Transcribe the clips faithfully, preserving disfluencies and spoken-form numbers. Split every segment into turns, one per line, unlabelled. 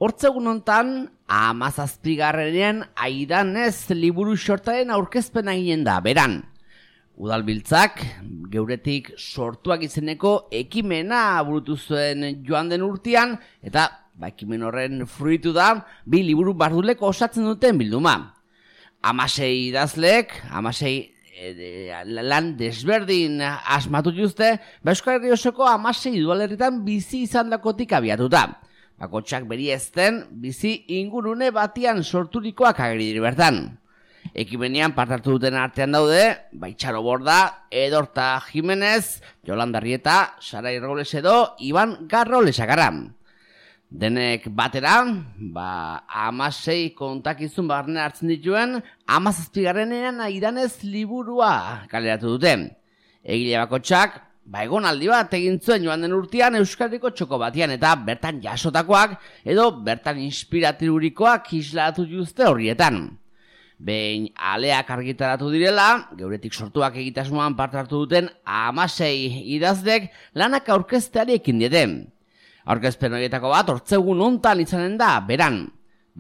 Hortzegun hontan, hamazazpigarrenean Aidanez liburu xortaren aurkezpena eginen da, beran. Udalbiltzak, geuretik sortuak izeneko ekimena burutu zuen joan den urtean, eta ba, ekimen horren fruitu da, bi liburu bardulek osatzen duten bilduma. Hamasei idazleek, hamasei e, lan desberdin asmatu juzte, ba, Euskal Herri osoko hamasei udalerritan bizi izandakotik abiatuta. Bakotxak beri ezten, bizi ingurune batian sorturikoak ageri bertan. Ekimenean partartu duten artean daude, Baitxaro Borda, Edorta Jimenez, Yolanda Rieta, Sarai Robles edo Iban Garro Lesakara. Denek batera, ba, hamasei kontakizun barne hartzen dituen, hamazazpigarrenean Aidanez liburua kaleratu dute. Egile bakotxak, ba, egonaldi bat egin zuen joan den urtean Euskadiko txoko batian eta bertan jasotakoak edo bertan inspiratirurikoak islatu juzte horrietan. Behin aleak argitaratu direla, geuretik sortuak egitasmoan parte hartu duten hamasei idazlek lanak aurkezteari ekin diete. Aurkezpen horietako bat hortzegun hontan izanen da, beran.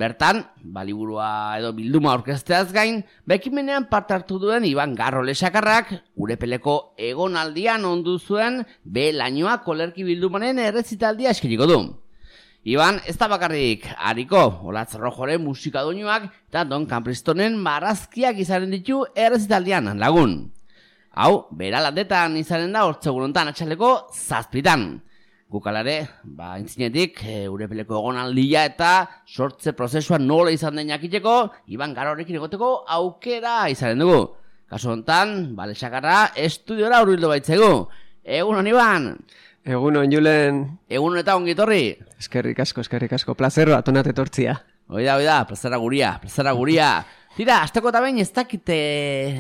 Bertan, baliburua edo bilduma aurkezteaz gain, bekimenean parte hartu duen Iban Garro Lesakarrak, Urepeleko egonaldian ondu zuen be lainoa kolerki bildumanen errezitaldia eskeriko du. Iban, ez da bakarrik hariko, Olatz Rojoren musikadoinuak eta Don Campristonen marrazkiak izanen ditu errezitaldian lagun. Hau, beralandetan izanen da hortzegun hontan atxaleko zazpitan. Gukalare, ba, intzinetik, e, Urepeleko egonaldia eta sortze prozesua nola izan den jakiteko, Iban Garrorekin egoteko aukera izanen dugu. Kasu hontan, ba, Lesakarra estudiora hurbildu baitzegu. Egun hon, Iban!
Egun hon, Julen!
Egun eta ongi etorri!
Eskerrik asko, eskerrik asko, plazero atonat etortzia.
Oida, oida, plazera guria, plazera guria. Tira, azteko eta behin ez dakite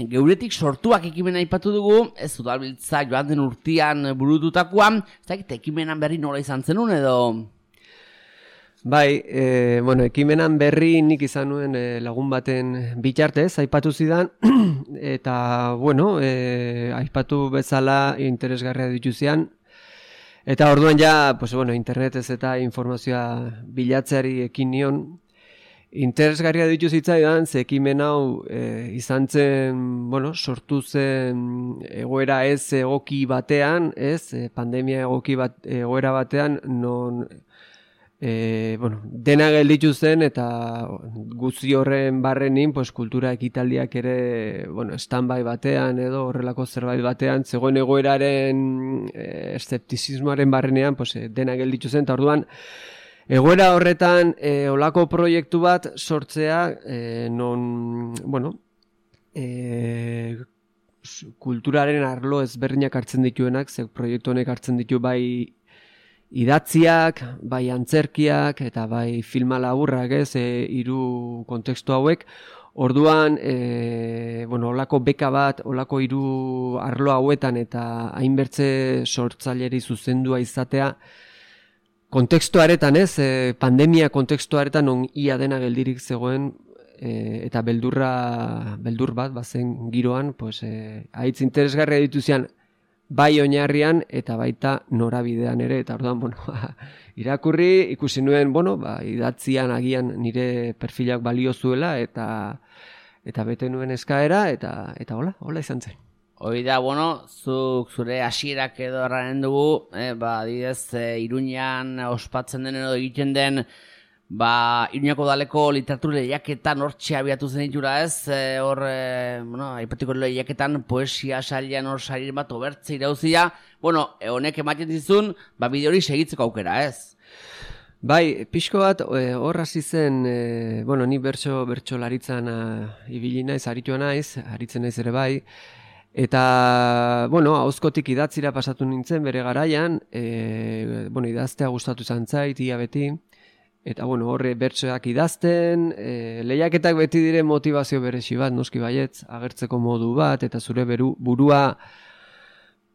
geuretik sortuak ekimena aipatu dugu, ez udalbiltza joan den urtean burututakoan, ez dakite ekimenan berri nola izan zenun edo...
Bai, e, bueno, ekimenan berri nik izan nuen e, lagun baten bitartez, aipatu zidan, eta, bueno, e, aipatu bezala interesgarria dituzian, eta orduan ja, pues, bueno, internetez eta informazioa bilatzeari ekin nion, interesgarria ditu zitzaidan, ze ekimen hau e, izan zen, bueno, sortu zen egoera ez egoki batean, ez, e, pandemia egoki bat, egoera batean, non, e, bueno, dena gelditu zen eta guzti horren barrenin, pues, kultura ekitaldiak ere, bueno, stand-by batean edo horrelako zerbait batean, zegoen egoeraren e, eszeptizismoaren barrenean, pues, dena gelditu zen, eta orduan, egoera horretan, e, olako proiektu bat sortzea, e, non, bueno, e, kulturaren arlo ezberdinak hartzen dituenak, ze proiektu honek hartzen ditu bai idatziak, bai antzerkiak, eta bai filma laburrak, ez, e, hiru kontekstu hauek. Orduan, e, bueno, olako beka bat, olako hiru arlo hauetan, eta hainbertze sortzaileri zuzendua izatea, kontekstuaretan ez, e, pandemia kontekstuaretan on ia dena geldirik zegoen e, eta beldurra, beldur bat, bazen giroan, pues, e, haitz interesgarria dituzian bai oinarrian eta baita norabidean ere, eta orduan, bueno, irakurri, ikusi nuen, bueno, ba, idatzian agian nire perfilak balio zuela eta eta bete nuen eskaera, eta eta hola, hola izan zen.
Hoi da, bueno, zuk zure hasierak edo erranen dugu, eh, ba, adibidez, e, Iruñan ospatzen den edo egiten den, ba, Iruñako udaleko literatur lehiaketan hortxe abiatu zen ditura ez, e, hor, e, bueno, aipatiko lehiaketan poesia sailean hor sarir bat obertze irauzia, bueno, e, honek ematen dizun, ba, bide hori segitzeko aukera ez.
Bai, pixko bat, hor hasi zen, e, bueno, ni bertso, bertso laritzan ibili naiz, aritua naiz, aritzen naiz ere bai, eta, bueno, ahozkotik idatzira pasatu nintzen bere garaian, e, bueno, idaztea gustatu izan zait, ia beti, eta, bueno, horre bertsoak idazten, e, lehiaketak beti dire motivazio beresi bat, noski baietz, agertzeko modu bat, eta zure beru, burua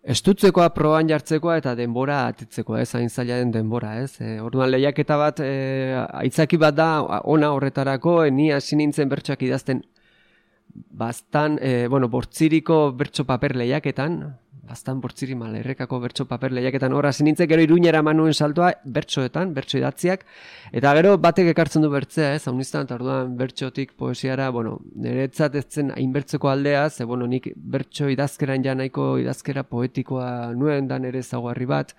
estutzekoa, proban jartzekoa, eta denbora atitzekoa, ez, hain zaila den denbora, ez. E, orduan lehiaketa bat, e, aitzaki bat da, ona horretarako, e, ni hasi nintzen bertsoak idazten, bastan, e, bueno, bortziriko bertso paper lehiaketan, bastan bortziri mal, errekako bertso paper lehiaketan, horra zinintzek gero Iruñera manuen saltoa bertsoetan, bertso idatziak, eta gero batek ekartzen du bertzea, ez, hauniztan, eta orduan bertsotik poesiara, bueno, niretzat ez zen hainbertzeko aldea, ze, bueno, nik bertso idazkeran ja nahiko idazkera poetikoa nuen, dan ere zaguarri bat,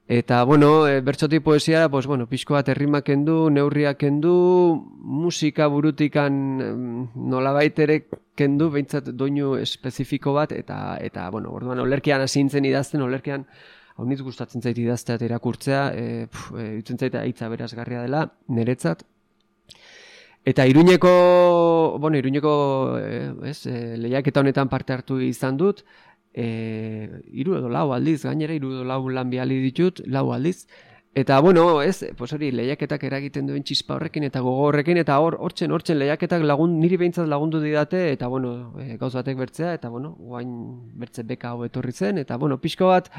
eta, bueno, e, bertsotik poesiara, pues, bueno, pixko bat errimak kendu, neurriak kendu, musika burutikan nolabait ere kendu, behintzat doinu espezifiko bat, eta, eta bueno, orduan, olerkean asintzen idazten, olerkean, hau nitz gustatzen zait idaztea eta irakurtzea, e, pf, e, utzen zait hitza berazgarria dela, niretzat. Eta Iruñeko, bueno, Iruñeko, e, ez, e, lehiaketa honetan parte hartu izan dut, E, iru edo lau aldiz, gainera iru edo lau lan bihali ditut, lau aldiz. Eta, bueno, ez, pues hori, lehiaketak eragiten duen txispa horrekin eta gogo horrekin, eta hor, hortzen, hortzen lehiaketak lagun, niri behintzat lagundu didate, eta, bueno, e, gauz batek bertzea, eta, bueno, guain bertze beka hau etorri zen, eta, bueno, pixko bat,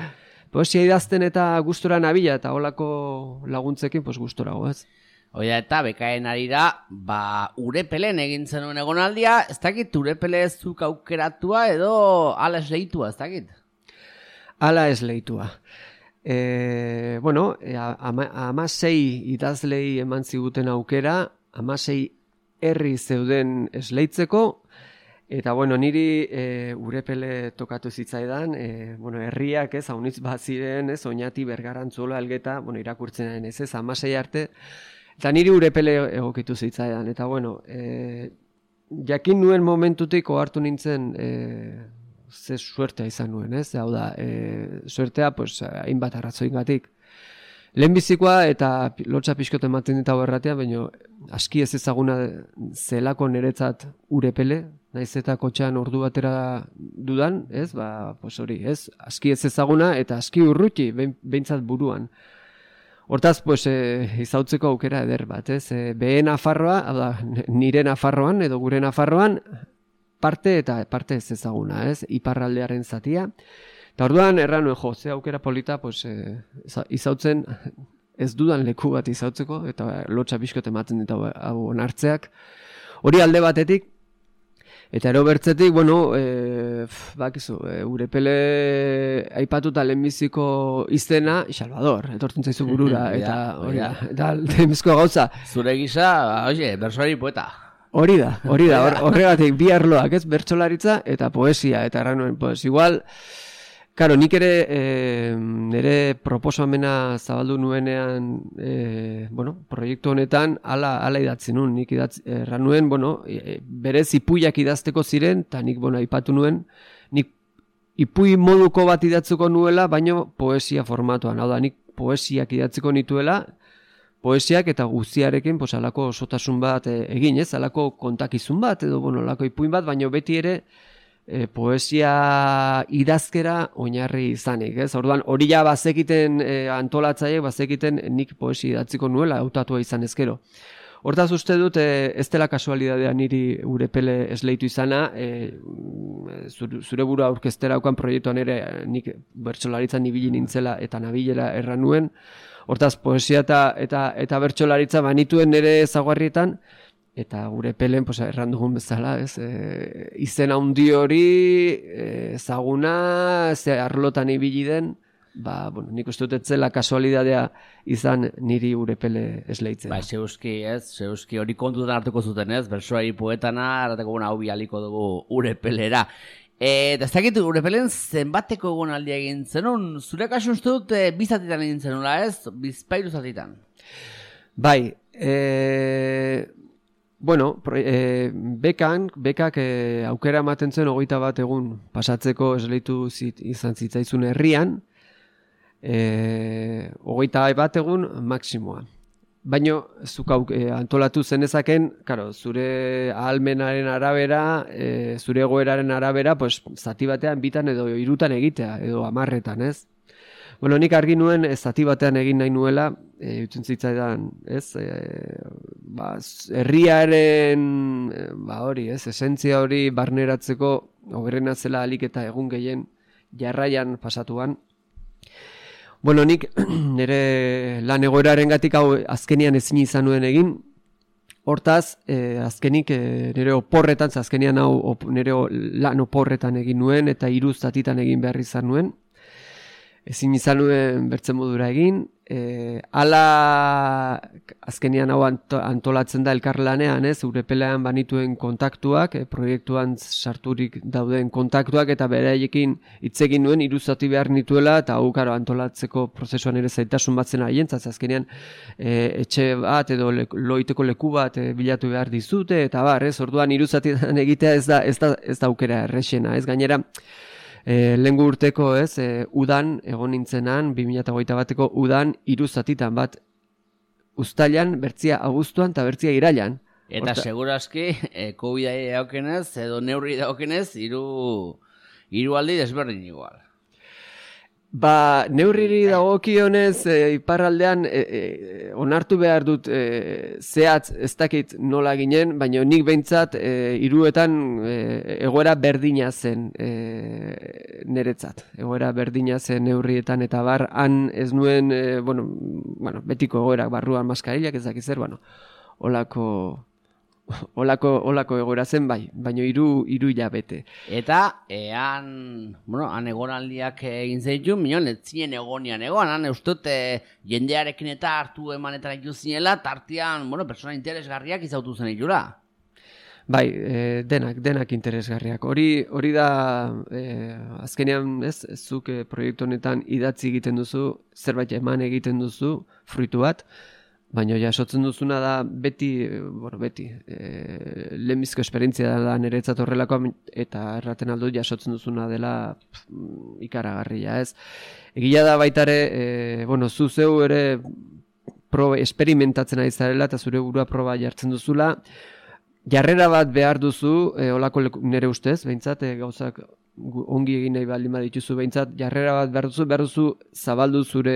poesia idazten eta gustora nabila, eta holako laguntzekin, pues gustora goaz.
Oia, eta bekaen arira, ba, Urepelen egin zenuen egonaldia, ez dakit Urepele ez zuk aukeratua edo ala esleitua, ez dakit?
Ala esleitua. E, bueno, e, ama, amasei idazlei eman ziguten aukera, amasei herri zeuden esleitzeko, eta, bueno, niri e, Urepele tokatu zitzaidan, e, bueno, herriak ez, haunitz bat ziren, ez, Oñati, Bergarantzuola, Elgeta, bueno, irakurtzen ez, ez, amasei arte, eta niri Urepele egokitu zitzaidan, eta bueno, e, jakin nuen momentutik ohartu nintzen e, ze suertea izan nuen, ez? Hau da, e, suertea, pues, hainbat arrazoingatik. Lehenbizikoa eta lotsa pixkot ematen dit hau erratea, baina aski ez ezaguna zelako niretzat Urepele, naiz eta kotxean ordu batera dudan, ez? Ba, pues hori, ez? Aski ez ezaguna eta aski urruti, behintzat buruan. Hortaz, pues, e, izautzeko aukera eder bat, ez? E, Behe Nafarroa, da, nire Nafarroan edo gure Nafarroan, parte eta parte ez ezaguna, ez? Iparraldearen zatia. Eta orduan, erran nuen, jo, ze aukera polita, pues, e, izautzen, ez dudan leku bat izautzeko, eta lotsa pixkot ematen ditu hau onartzeak. Hori alde batetik, eta ero bertzetik, bueno, e, bakizu, e, Urepele aipatuta lehenbiziko izena, Salvador, etortzen zaizu burura, eta hori da, eta lehenbizko gauza.
Zure gisa, oie, bersolari poeta.
Hori da, hori da, horregatik bi arloak, ez, bertsolaritza eta poesia, eta erran nuen, pues, igual, karo, nik ere e, nire proposamena zabaldu nuenean, e, bueno, proiektu honetan ala, ala idatzi nuen, nik idatzi, erran nuen, bueno, e, berez ipuiak idazteko ziren, eta nik, bueno, aipatu nuen, nik ipui moduko bat idatzuko nuela, baino poesia formatuan, hau da, nik poesiak idatziko nituela, poesiak eta guztiarekin, pues, alako osotasun bat e, egin, ez, alako kontakizun bat, edo, bueno, alako ipuin bat, baino beti ere, E, poesia idazkera oinarri izanik, ez? Orduan, hori ja bazekiten e, antolatzaiek, bazekiten nik poesia idatziko nuela, hautatua izan ezkero. Hortaz uste dut, e, ez dela kasualidadea niri Urepele esleitu izana, e, zure, zure buru aurkeztera aukan proiektuan ere nik bertsolaritzan ibili nintzela eta nabilela erran nuen. Hortaz, poesia eta, eta, eta bertsolaritza banituen nire zaguarrietan, eta Urepelen, pues, erran dugun bezala, ez, e, izen handi hori, ezaguna, e, ze arlotan ibili den, ba, bueno, nik uste dut etzela kasualidadea izan niri Urepele esleitzen.
Ba, zeuski, ez, zeuski hori kontutan hartuko zuten, ez, bersoari poetana, harteko guna hau bialiko dugu Urepelera. Eta ez dakit Urepelen zenbateko egon aldia egin zenun, zure kasu uste dut e, bizatitan egin zenula, ez, bizpairu zatitan.
Bai, eee... Bueno, e, bekan, bekak e, aukera ematen zen hogeita bat egun pasatzeko esleitu zit, izan zitzaizun herrian, e, hogeita bat egun maksimoa. Baina, zuk e, antolatu zenezaken, karo, zure ahalmenaren arabera, e, zure egoeraren arabera, pues, zati batean bitan edo hirutan egitea, edo hamarretan, ez? Bueno, nik argi nuen ez zati batean egin nahi nuela, e, utzen zitzaidan, ez, e, ba, herriaren, e, ba hori, ez, esentzia hori barneratzeko, hoberena zela alik eta egun gehien jarraian pasatuan. Bueno, nik nire lan egoeraren gatik hau azkenian ezin izan nuen egin, Hortaz, eh, azkenik eh, nire oporretan, azkenian hau op, nire lan oporretan egin nuen eta hiru zatitan egin behar izan nuen. Ezin izan nuen bertzen modura egin. E, ala azkenian hau antolatzen da elkarlanean, ez, Urepelean banituen kontaktuak, e, proiektuan sarturik dauden kontaktuak eta beraiekin hitz egin nuen hiru zati behar nituela eta hau karo antolatzeko prozesuan ere zaitasun batzen aientzat, azkenian e, etxe bat edo le, loiteko leku bat e, bilatu behar dizute eta bar, ez, orduan hiru zatitan egitea ez da ez da ez da aukera errexena, ez, gainera E, lehengo urteko, ez, e, udan egon nintzenan, bi mila hogeita bateko udan hiru zatitan bat uztailan, bertzia abuztuan eta bertzia irailan.
Eta Horta... segurazki, e, COVID-ai daukenez, edo neurri daukenez, hiru hiru aldi desberdin igual.
Ba, neurriri dagokionez e, iparraldean e, e, onartu behar dut e, zehatz ez dakit nola ginen, baina nik behintzat e, hiruetan e, egoera berdina zen e, niretzat. Egoera berdina zen neurrietan eta bar, han ez nuen, e, bueno, bueno, betiko egoerak barruan maskarilak ez dakiz zer, bueno, olako... Olako, olako egoera zen bai, baina hiru hiru hilabete.
Eta ean, bueno, han egonaldiak egin zeitu, minon, ez zinen egonian egon, han eustut e, jendearekin eta hartu emanetan iku zinela, tartian, bueno, persona interesgarriak izautu zen itula.
Bai, e, denak, denak interesgarriak. Hori hori da, e, azkenean, ez, zuk e, proiektu honetan idatzi egiten duzu, zerbait eman egiten duzu, fruitu bat, baina jasotzen duzuna da beti, bueno, beti, e, lehenbizko esperientzia da niretzat horrelakoa eta erraten aldut jasotzen duzuna dela pff, ikaragarria, ez. Egia da baitare, e, bueno, zu zeu ere proba, experimentatzen ari zarela eta zure burua proba jartzen duzula, jarrera bat behar duzu, e, olako nire ustez, behintzat, e, gauzak ongi egin nahi baldin badituzu behintzat, jarrera bat behar duzu, behar duzu zabaldu zure,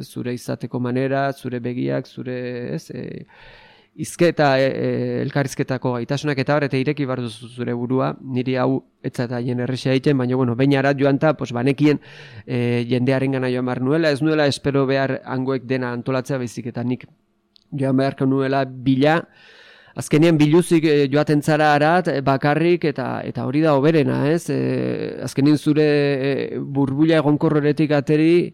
zure izateko manera, zure begiak, zure ez, e, izketa, e, e, elkarrizketako gaitasunak eta bar, eta ireki behar duzu zure burua, niri hau etza eta jen errexea egiten, baina bueno, behin arat joan ta, pues, banekien e, jendearen gana joan behar nuela, ez nuela espero behar hangoek dena antolatzea baizik eta nik joan beharko nuela bila, azkenean biluzik e, joaten zara arat, bakarrik, eta eta hori da hoberena, ez? E, azkenean zure e, burbuila egonkorretik ateri,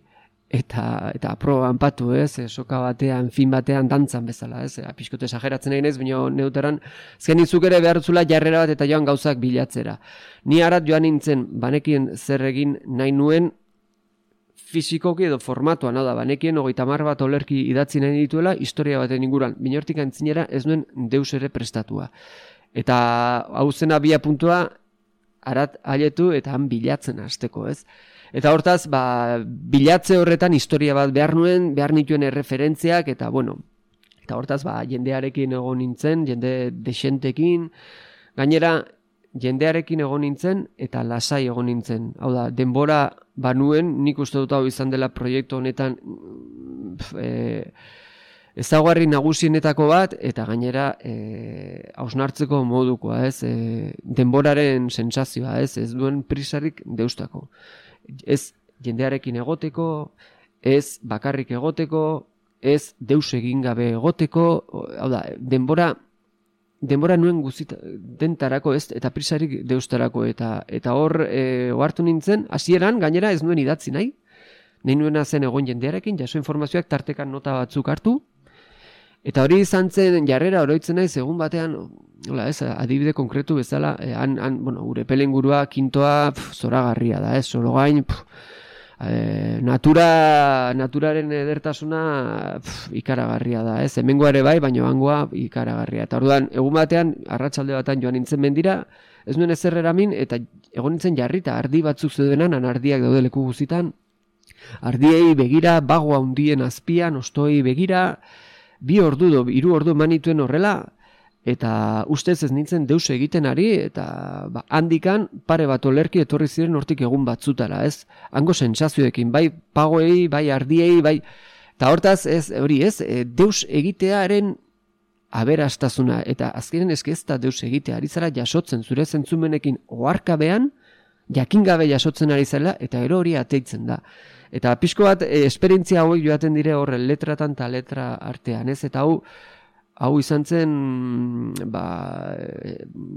eta eta proban patu, ez? E, soka batean, fin batean, dantzan bezala, ez? E, pixkote esageratzen egin ez, baina neuteran, azkenean zuk ere behar zula jarrera bat eta joan gauzak bilatzera. Ni arat joan nintzen, banekien zer egin nahi nuen, fizikoki edo formatuan, hau da, banekien hogeita hamar bat olerki idatzi nahi dituela, historia baten inguruan, minortik antzinera ez nuen deus ere prestatua. Eta hau zen abia puntua, arat aletu eta han bilatzen hasteko, ez? Eta hortaz, ba, bilatze horretan historia bat behar nuen, behar nituen erreferentziak, eta bueno, eta hortaz, ba, jendearekin egon nintzen, jende desentekin, gainera, jendearekin egon nintzen eta lasai egon nintzen. Hau da, denbora banuen, nik uste dut hau izan dela proiektu honetan e, ezaugarri nagusienetako bat, eta gainera e, hausnartzeko modukoa, ez? E, denboraren sentsazioa, ez? Ez duen prisarik deustako. Ez jendearekin egoteko, ez bakarrik egoteko, ez deus egin gabe egoteko, hau da, denbora denbora nuen guzita dentarako, ez, eta prisarik deustarako, eta eta hor e, ohartu nintzen, hasieran gainera ez nuen idatzi nahi, nahi nuena zen egon jendearekin, jaso informazioak tartekan nota batzuk hartu, eta hori izan zen jarrera oroitzen nahi, segun batean, hola, ez, adibide konkretu bezala, e, han, han, bueno, Urepelen gurua, kintoa, pf, zoragarria da, ez, Sorogain, pf, E, natura, naturaren edertasuna pf, ikaragarria da, ez? Hemengoa ere bai, baina hangoa ikaragarria. Eta orduan, egun batean, arratsalde batean joan nintzen mendira, ez nuen ezer eramin, eta egon nintzen jarrita, ardi batzuk zeudenan, ardiak daude leku guzitan, ardiei begira, bagoa hundien azpian, ostoi begira, bi ordu do, hiru ordu manituen horrela, eta ustez ez nintzen deus egiten ari, eta ba, handikan pare bat olerki etorri ziren hortik egun batzutara, ez? Hango sentsazioekin, bai pagoei, bai ardiei, bai... Eta hortaz, ez, hori ez, e, deus egitearen aberastasuna, eta azkenen eske ez da deus egitea, ari zara jasotzen, zure zentzumenekin oharkabean, jakingabe jasotzen ari zela, eta ero hori ateitzen da. Eta pixko bat, e, esperientzia hauek joaten dire horren letratan eta letra artean, ez? Eta hau, hau izan zen, ba,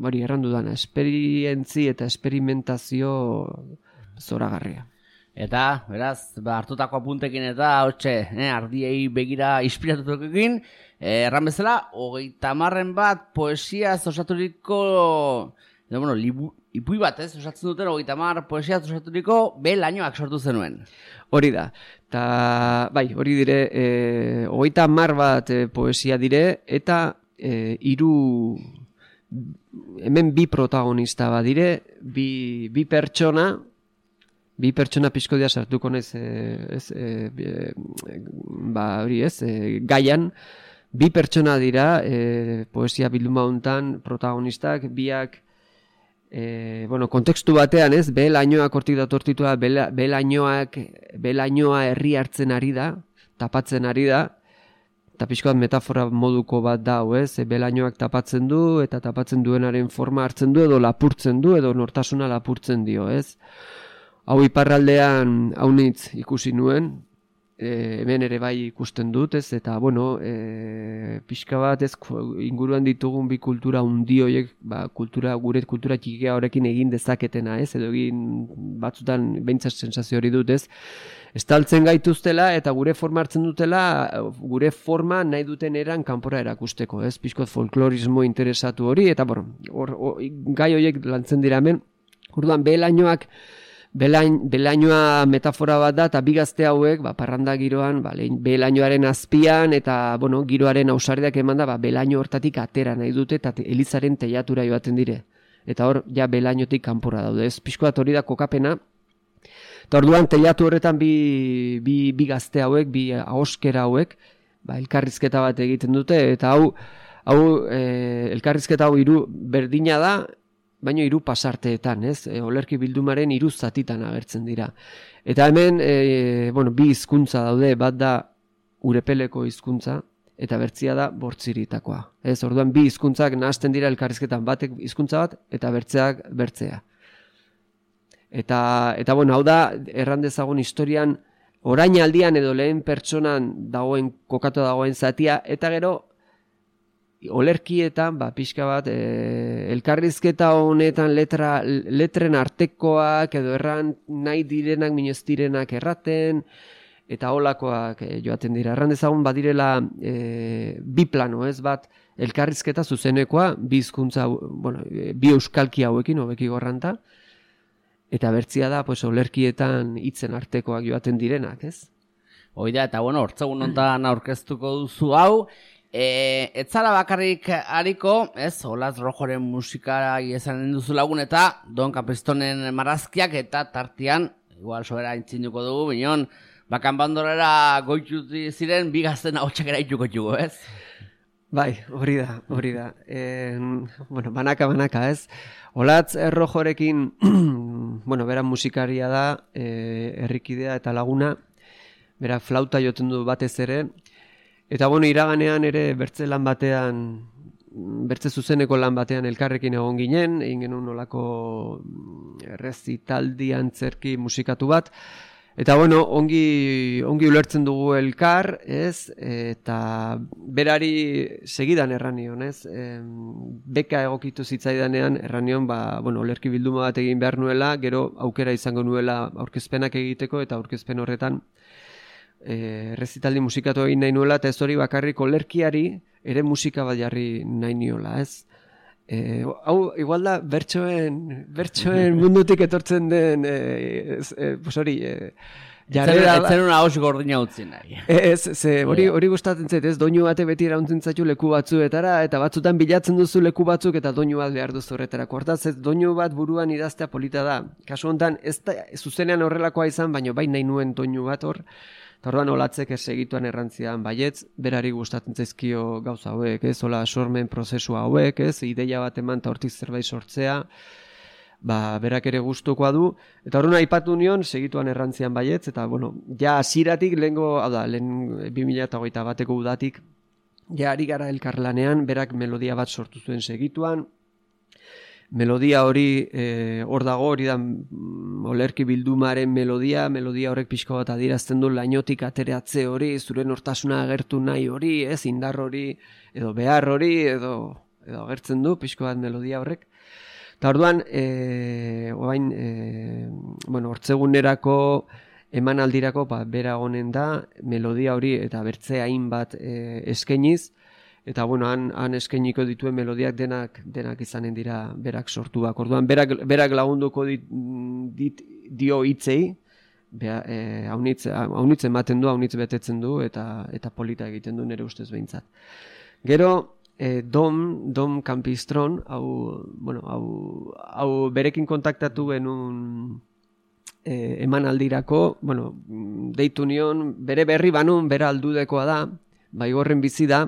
hori errandu dana, esperientzi eta esperimentazio zoragarria.
Eta, beraz, ba, hartutako apuntekin eta, hotxe, eh, ardiei begira inspiratutukekin, eh, erran bezala, hogeita marren bat poesiaz osaturiko, edo, bueno, libu, ipui bat, ez, osatzen duten, hogeita mar poesiaz osaturiko belainoak sortu zenuen.
Hori da, eta, bai, hori dire, eh, hogeita mar bat eh, poesia dire, eta eh, hiru, hemen bi protagonista bat dire, bi, bi pertsona, Bi pertsona pixko dia sartuko nez, ez, e, e, ba, hori ez, e, gaian, bi pertsona dira e, poesia bilduma hontan protagonistak, biak, e, bueno, kontekstu batean ez, belainoak hortik datortitua, belainoak, belainoa herri hartzen ari da, tapatzen ari da, eta pixko bat metafora moduko bat da, ez, e, belainoak tapatzen du, eta tapatzen duenaren forma hartzen du, edo lapurtzen du, edo nortasuna lapurtzen dio, ez. Hau iparraldean haunitz ikusi nuen, e, hemen ere bai ikusten dut, ez, eta, bueno, e, pixka bat ez inguruan ditugun bi kultura hundi horiek, ba, kultura, gure kultura txikia horrekin egin dezaketena, ez, edo egin batzutan behintzat sensazio hori dut, ez, estaltzen gaituztela eta gure forma hartzen dutela, gure forma nahi duten eran kanpora erakusteko, ez, pixkot folklorismo interesatu hori, eta, bueno, or, or, gai horiek lantzen dira hemen, orduan belainoak, Belain, belainoa metafora bat da, eta bi gazte hauek, ba, parranda giroan, ba, belainoaren azpian, eta, bueno, giroaren ausardiak eman da, ba, belaino hortatik atera nahi dute, eta elizaren teiatura joaten dire. Eta hor, ja, belainotik kanpora daude. Ez pixko bat hori da kokapena. Eta orduan, teiatu horretan bi, bi, bi gazte hauek, bi ahoskera hauek, ba, elkarrizketa bat egiten dute, eta hau, hau e, elkarrizketa hau hiru berdina da, baino hiru pasarteetan, ez? E, olerki bildumaren hiru zatitan agertzen dira. Eta hemen, e, bueno, bi hizkuntza daude, bat da urepeleko hizkuntza eta bertzia da bortziritakoa. Ez, orduan bi hizkuntzak nahasten dira elkarrizketan, batek hizkuntza bat eta bertzeak bertzea. Eta eta bueno, hau da erran dezagun historian orain aldian edo lehen pertsonan dagoen kokatu dagoen zatia, eta gero olerkietan, ba, pixka bat, e, elkarrizketa honetan letra, letren artekoak edo erran nahi direnak, minez direnak erraten, eta holakoak e, joaten dira. Erran dezagun badirela e, bi plano, ez bat, elkarrizketa zuzenekoa, bi hizkuntza, bueno, bi euskalki hauekin, hobeki gorranta, eta bertzia da, pues, olerkietan hitzen artekoak joaten direnak, ez?
Hoi da, eta bueno, hortzegun hontan aurkeztuko duzu hau, E, ez zara bakarrik hariko, ez, Olaz Rojoren musikara esanen duzu lagun eta Don Capristonen marrazkiak eta tartian, igual sobera intzinduko dugu, binon, bakan bandorera goituti ziren, bigazten ahotsak eraituko jugo, ez?
Bai, hori da, hori da. E, bueno, banaka, banaka, ez? Olaz Rojorekin, bueno, bera musikaria da, e, herrikidea eta laguna, bera flauta joten du batez ere, eta bueno, iraganean ere bertze lan batean, bertze zuzeneko lan batean elkarrekin egon ginen, egin genuen nolako errezitaldi antzerki musikatu bat, eta bueno, ongi, ongi ulertzen dugu elkar, ez, eta berari segidan erranion, ez, e, beka egokitu zitzaidanean erranion, ba, bueno, olerki bilduma bat egin behar nuela, gero aukera izango nuela aurkezpenak egiteko, eta aurkezpen horretan, E, rezitaldi musikatu egin nahi nuela, eta ez hori bakarrik olerkiari ere musika bat jarri nahi niola, ez? E, hau, igual da, bertsoen, bertsoen mundutik etortzen den, e, e, pues hori, e,
jarrera... Etzen una hos gordina utzin nahi.
Ez, ze, hori, hori gustatzen zait, ez? Doinu bate beti erauntzen zaitu leku batzuetara, eta batzutan bilatzen duzu leku batzuk, eta doinu bat behar duzu horretarako. Hortaz, ez, doinu bat buruan idaztea polita da. Kasu honetan, ez da, zuzenean horrelakoa izan, baina bai nahi nuen doinu bat hor, eta orduan Olatzek ez segituan errantzian baietz, berari gustatzen zaizkio gauza hauek, ez, hola sormen prozesua hauek, ez, ideia bat eman eta hortik zerbait sortzea, ba, berak ere gustukoa du, eta orduan aipatu nion, segituan errantzian baietz, eta, bueno, ja hasieratik lehengo, hau da, lehen bi mila hogeita bateko udatik, ja ari gara elkarlanean, berak melodia bat sortu zuen segituan, melodia hori e, hor dago, hori da mm, olerki bildumaren melodia, melodia horrek pixko bat adierazten du lainotik ateratze hori, zure nortasuna agertu nahi hori, ez, indar hori, edo behar hori, edo, edo agertzen du pixko bat melodia horrek. Eta orduan, e, oain, e, bueno, hortzegunerako, emanaldirako, ba, bera honen da, melodia hori eta bertze hainbat e, eskainiz, eta bueno, han, han eskainiko dituen melodiak denak denak izanen dira berak sortuak. Orduan, berak, berak lagunduko dit, dit dio hitzei, e, haunitz, haunitz ematen du, haunitz betetzen du, eta, eta polita egiten du nire ustez behintzat. Gero, E, Dom, Dom Campistron, hau, bueno, hau, hau berekin kontaktatu genuen e, emanaldirako, bueno, deitu nion, bere berri banun, bera aldudekoa da, Baigorren bizi da,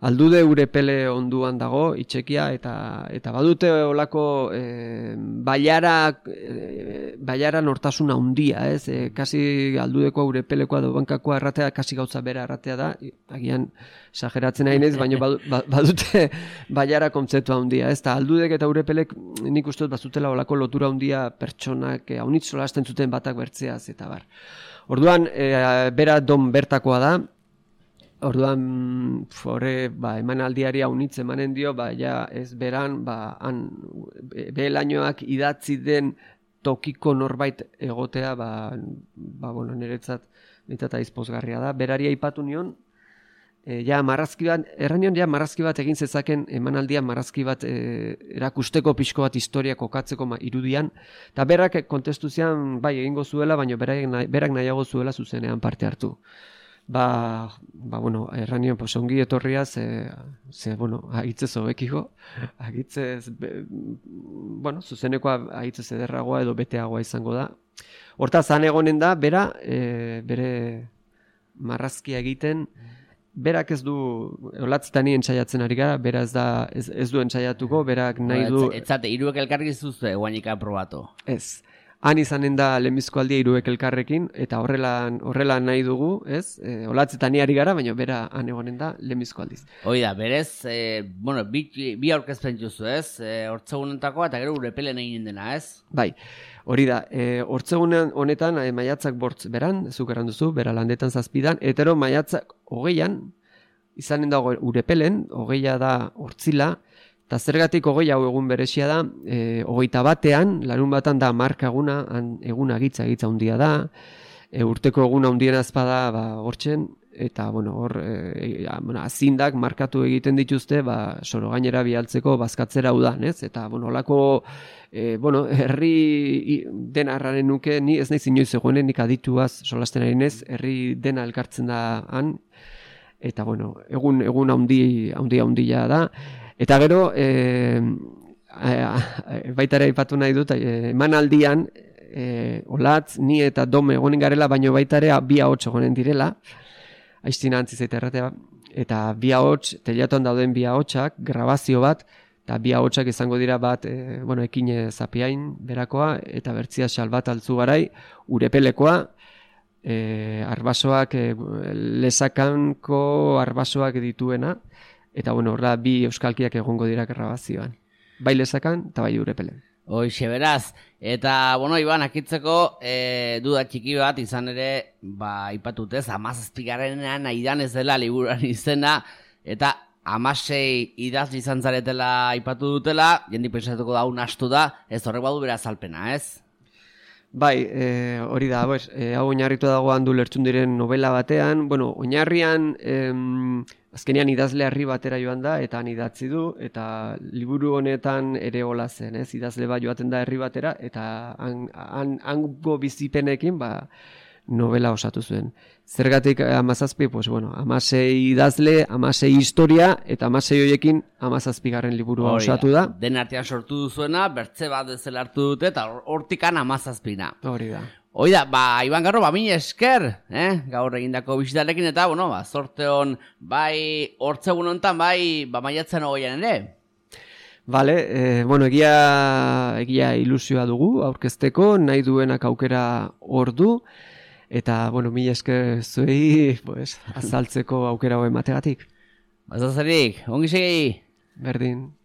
aldude Urepele onduan dago, itxekia, eta eta badute olako e, baiara, e, baiara nortasuna handia, ez? E, kasi aldudekoa Urepelekoa edo bankakoa erratea, kasi gauza bera erratea da, agian exageratzen nahi nez, baina badute baiara kontzeptua handia, ez? Ta aldudek eta Urepelek nik uste dut bazutela olako lotura handia pertsonak e, haunitz solasten zuten batak bertzeaz, eta bar. Orduan, e, bera Dom bertakoa da, orduan, horre, ba, emanaldiari haunitz emanen dio, ba, ja, ez beran, ba, han, behelainoak idatzi den tokiko norbait egotea, ba, ba bueno, niretzat, niretzat aizpozgarria da. Berari aipatu nion, e, ja, marrazki bat, erranion, ja, marrazki bat egin zezaken, emanaldia marrazki bat e, erakusteko pixko bat historia kokatzeko ma, irudian, eta berak kontestu zian, bai, egingo zuela, baina berak, nahi, berak nahiago zuela zuzenean parte hartu. Ba, ba, bueno, erranio, pues, ongi etorria, ze, ze bueno, agitzez hobekiko, agitzez, be, bueno, zuzenekoa agitzez ederragoa edo beteagoa izango da. Hortaz, han egonen da, bera, e, bere marrazkia egiten, berak ez du, olatzetani entzaiatzen ari gara, bera ez, da, ez, ez du entzaiatuko, berak nahi du...
Ez zate, iruek elkarrik zuzue, guainika aprobatu.
Ez. Han izanen da lehenbizko aldia hiruek elkarrekin, eta horrela, horrela nahi dugu, ez? E, olatzetan ari gara, baina bera han egonen da lehenbizko aldiz.
Hoi da, berez, e, bueno, bi, bi aurkezpen juzu, ez? E, hortzegunentakoa eta gero Urepelen egin dena, ez?
Bai, hori da, e, hortzegunen honetan e, maiatzak bortz beran, zuk erran duzu, bera landetan zazpidan, etero maiatzak hogeian, izanen da Urepelen, hogeia da hortzila, eta zergatik hogei hau egun berezia da, e, hogeita batean, larun batan da marka eguna, eguna gitza, gitza handia da, e, urteko eguna handien azpada ba, hortzen, eta bueno, hor, e, bueno, azindak markatu egiten dituzte, ba, soro gainera bialtzeko bazkatzera udan, ez? Eta, bueno, olako, e, bueno, herri dena arraren nuke, ni ez nahi inoiz egoenen, nik adituaz solasten ari nez, herri dena elkartzen da han, eta, bueno, egun, egun handi, handi handia da. Eta gero, e, baita ere aipatu nahi dut, e, emanaldian, e, olatz, ni eta Dome egonen garela, baino baita ere bi ahots egonen direla, aiztina antzi zaita erratea, eta bi ahots, telatuan dauden bi ahotsak, grabazio bat, eta bi ahotsak izango dira bat, e, bueno, Ekine Zapiain berakoa, eta Bertzia Salbat Altzugarai, Urepelekoa, e, arbasoak, e, lesakanko arbasoak dituena, eta bueno, horra bi euskalkiak egongo dira grabazioan. Bai lesakan eta bai Urepelen.
Hoixe beraz, eta, bueno, Iban, akitzeko e, duda txiki bat izan ere, ba, ipatutez, hamazazpigarrenean aidan ez dela liburuan izena, eta hamasei idazle izan zaretela aipatu dutela, jendik pensatuko da, astu da, ez horrek badu bera azalpena, ez?
Bai, e, hori da, pues, e, hau oinarritu dago handu lertzun diren novela batean, bueno, oinarrian em, azkenean idazle harri batera joan da, eta han idatzi du, eta liburu honetan ere hola zen, ez? Idazle bat joaten da herri batera, eta han, han, hango bizipenekin, ba, novela osatu zuen. Zergatik hamazazpi, pues bueno, hamasei idazle, hamasei historia, eta hamasei horiekin hamazazpigarren liburua osatu da.
Den artean sortu duzuena, bertze bat ezela hartu dute, eta hortikan hamazazpina.
Hori da.
Hoi da, ba, Iban Garro, ba, mila esker, eh? Gaur egindako bisitarekin, eta, bueno, ba, zorte hon, bai, hortzegun honetan, bai, ba, maiatzen hogeian ere.
Vale, eh, bueno, egia, egia ilusioa dugu, aurkezteko, nahi duenak aukera hor du, eta, bueno, mila esker zuei, pues, azaltzeko aukera hoa emategatik.
Bazazerik, ongi segi?
Berdin.